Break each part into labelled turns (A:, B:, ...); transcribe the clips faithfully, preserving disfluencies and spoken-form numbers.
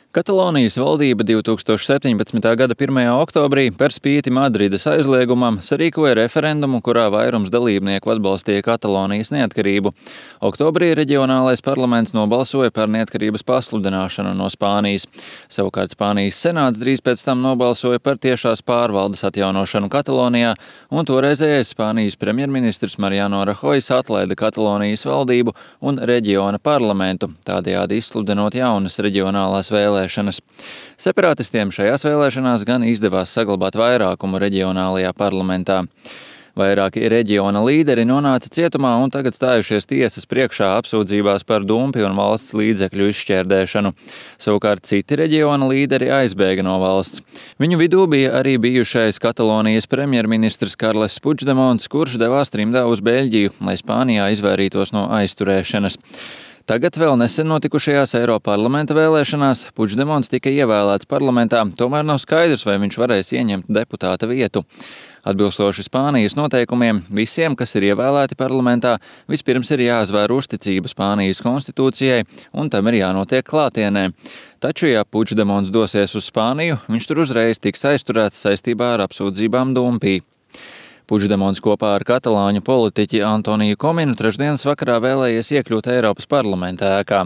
A: Katalonijas valdība divtūkstoš septiņpadsmitā gada pirmajā oktobrī par spīti Madrides aizliegumam sarīkoja referendumu, kurā vairums dalībnieku atbalstīja Katalonijas neatkarību. Oktobrī reģionālais parlaments nobalsoja par neatkarības pasludināšanu no Spānijas. Savukārt Spānijas senāts drīz pēc tam nobalsoja par tiešās pārvaldes atjaunošanu Katalonijā, un toreizējais Spānijas premjerministrs Mariano Rajoys atlaida Katalonijas valdību un reģiona parlamentu, tādējādi izsludinot jaunas reģionālās vēlēšanas. Separatistiem šajās vēlēšanās gan izdevās saglabāt vairākumu reģionālajā parlamentā. Vairāki reģiona līderi nonāca cietumā un tagad stājušies tiesas priekšā apsūdzībās par dumpi un valsts līdzekļu izšķērdēšanu. Savukārt citi reģiona līderi aizbēga no valsts. Viņu vidū bija arī bijušais Katalonijas premjerministrs Karles Puigdemons, kurš devās trimdā uz Beļģiju, lai Spānijā izvairītos no aizturēšanas. Tagad vēl nesen notikušajās Eiroparlamenta vēlēšanās Puigdemons tika ievēlēts parlamentā, tomēr nav skaidrs, vai viņš varēs ieņemt deputāta vietu. Atbilstoši Spānijas noteikumiem, visiem, kas ir ievēlēti parlamentā, vispirms ir jāizvēr uzticība Spānijas konstitūcijai, un tam ir jānotiek klātienē. Taču, ja Puigdemons dosies uz Spāniju, viņš tur uzreiz tiks aizturēts saistībā ar apsūdzībām dumpī. Puigdemons kopā ar katalāņu politiķi Antoniju Kominu trešdienas vakarā vēlējies iekļūt Eiropas parlamenta ēkā.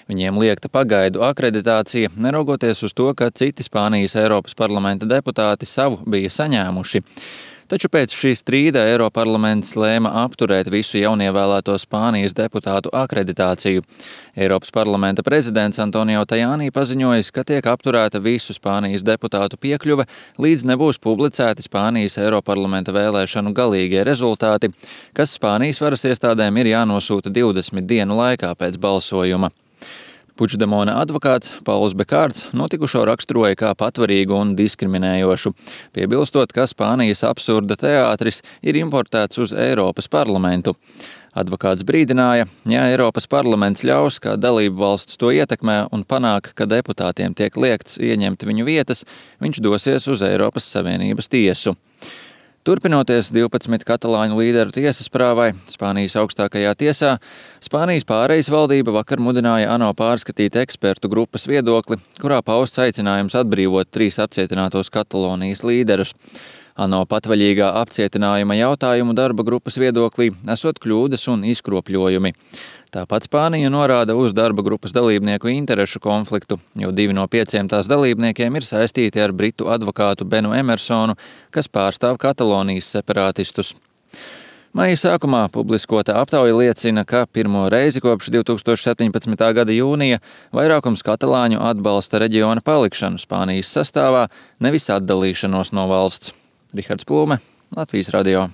A: Viņiem liekta pagaidu akreditācija, neraugoties uz to, ka citi Spānijas Eiropas parlamenta deputāti savu bija saņēmuši. Taču pēc šī strīda Eiroparlaments lēma apturēt visu jaunievēlēto Spānijas deputātu akreditāciju. Eiropas parlamenta prezidents Antonio Tajani paziņojis, ka tiek apturēta visu Spānijas deputātu piekļuve, līdz nebūs publicēti Spānijas Eiroparlamenta vēlēšanu galīgie rezultāti, kas Spānijas varas iestādēm ir jānosūta divdesmit dienu laikā pēc balsojuma. Puigdemona advokāts Pauls Bekārds notikušo raksturoja kā patvarīgu un diskriminējošu, piebilstot, ka Spānijas absurda teātris ir importēts uz Eiropas parlamentu. Advokāts brīdināja, ja Eiropas parlaments ļaus, kā dalību valsts to ietekmē un panāk, ka deputātiem tiek liekts ieņemt viņu vietas, viņš dosies uz Eiropas Savienības tiesu. Turpinoties divpadsmit katalāņu līderu tiesas prāvai Spānijas augstākajā tiesā, Spānijas pārejas valdība vakar mudināja ANO pārskatīt ekspertu grupas viedokli, kurā pausts aicinājums atbrīvot trīs apcietinātos Katalonijas līderus. ANO patvaļīgā apcietinājuma jautājumu darba grupas viedoklī esot kļūdas un izkropļojumi. Tāpat Spānija norāda uz darba grupas dalībnieku interešu konfliktu, jo divi no pieciem tās dalībniekiem ir saistīti ar britu advokātu Benu Emersonu, kas pārstāv Katalonijas separātistus. Maija sākumā publiskota aptauja liecina, ka pirmo reizi kopš divtūkstoš septiņpadsmitā gada jūnija vairākums katalāņu atbalsta reģiona palikšanu Spānijas sastāvā, nevis atdalīšanos no valsts. Rihards Plūme, Latvijas radio.